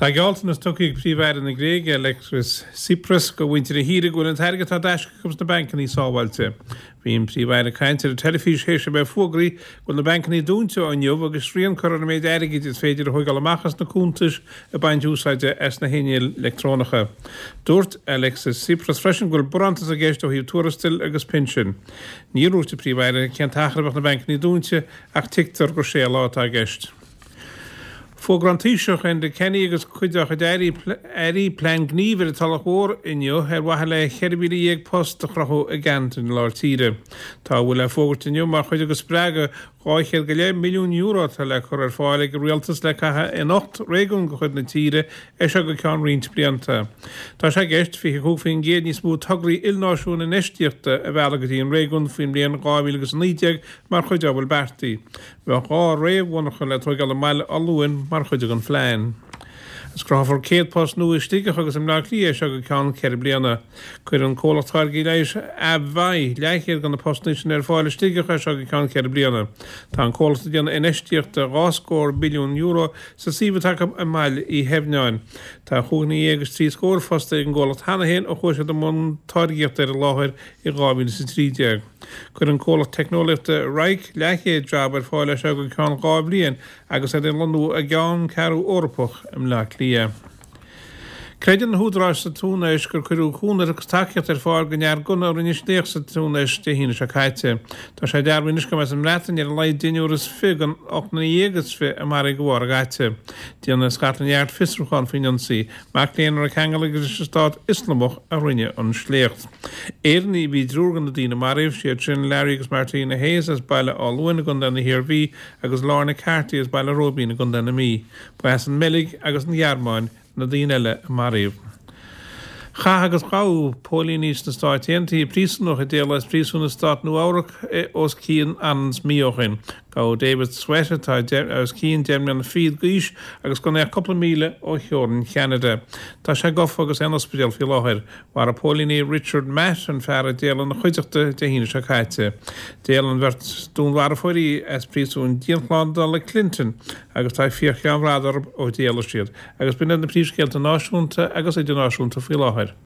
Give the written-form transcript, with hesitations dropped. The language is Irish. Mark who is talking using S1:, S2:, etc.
S1: Tá gealltanas tugtha ag Príomh-Aire na Gréige, Alexis Tsipras, do mhuintir na thíre go bhfuil an t-airgead atá i dtaisce acu sna bancannaí sábháilte. Bhí an Príomh-Aire ag caint ar an teilifís théis a bheith fógraithe go bhfuil na bancannaí dúnta ó inniu agus srian curtha ar an méid airgid is féidir a thóigeáil amach as na cuntais ag baint úsáide as na hinnill leictreonacha. Dúirt Alexis Tsipras freisin go bhfuil barántas i gceist ó thaobh tuarastail agus pinsin. Níor dhúirt an Príomh-Aire cén t-achar a bheadh na bancannaí dúnta ach tuigtear gur sé lá atá i gceist. Fógraíonn an Taoiseach Enda Kenny agus cuid dá chuid airí plean gnímh ar an Tulach Mhór inniu ar mhaithe le 14,000 post a chruthú i gceantar na lár tíre. Tá a bhfuil le fógairt inniu mar chuid de spreagadh 200 go leith milliún euro atá le cur ar fáil ag an rialtas le caitheamh in 8 réigiún de chuid na tíre é seo go ceann roinnt blianta. Tá sé i gceist 25% níos mó tograí ilnáisiúin infheistíochta a mhealladh go dtí an réigiún faoin mbliain 2019 mar chuid dá bhfuil beartaithe. Bheadh 2 réamh-mhonarcha le tóigeáil i mBaile Átha Luain mar chuid den phlean. Agus cruthófar 100 post nua i Sligeach agus i mBleá Cliath é seo go ceann 4 bliana. Cuirfidh an comhlacht táirgí leighis AbbVie leathchéad de na postanna sin ar fáil i Sligeach é seo go ceann 4 bliana. Tá an comhlacht ag déanamh infheistíocht de dhá scór billiún euro sa suíomh atá acu i mBaile Uí Theimhneáin. Tá chúig dhuine dhéag is trí scór fostaithe ag an gcomhlacht cheana féin ó chuaigh siad i mbun táirgíochta ar an láthair i 2013. Cuirfidh an comhlacht teicneolaíochta Wrike leathchéad jab ar fáil é seo go ceann 2 bhliain agus iad ag lonnú i gceanncheathrú Eorpach i mBleá Cliath. Creideann na húdaráis sa Túinéis gur cuireadh cúnamh agus tacaíocht ar fáil don fhear gunna a rinne sléacht sa Túinéis Dé hAoine seo caite. Tá sé dearbhaithe anois gurb as an mBreatain ar a laghad deichniúr is 20 den 18 is 20 a maraíodh de bharr an ghaite. Déanfaidh Scotland Yard fiosrúchán faoin ionsaí. Mac léinn a raibh ceangal aige leis an Stát Ioslamach a rinne an sléacht. Éireannaigh a bhí i dtriúr de na daoine a maraíodh, siad sin Larry agus Martina Hayes as Baile Átha Luain i gContae na hIarmhí agus Lorna Carty as Baile Róibín i gContae na Mí. Ba as an mBeilg agus an Ghearmáin na daoine eile a maraíodh. Chaith agus ghabh póilíní sna Stáit Aontaithe príosúnach a d'éalaigh as príosún i stát Nua-Eabhrac os cionn anonn is mí ó shin. Gabhadh David Sweat, atá os cionn 10 mbliana fichead d'aois agus gan é ach cúpla míle ó theorainn Cheanada. Tá sé gafa agus é in ospidéal faoi láthair. Mharaigh póilíní Richard Matt, an fear a d'éalaigh ina chuideachta, Dé hAoine seo caite. D'éalaigh an bheirt dúnmharfóirí as príosún dianshlándála Clinton agus tá fiach cheann bhrat orthu ó d'éalaigh siad. Agus b'in iad na príomhscéalta náisiúnta agus idirnáisiúnta faoi láthair.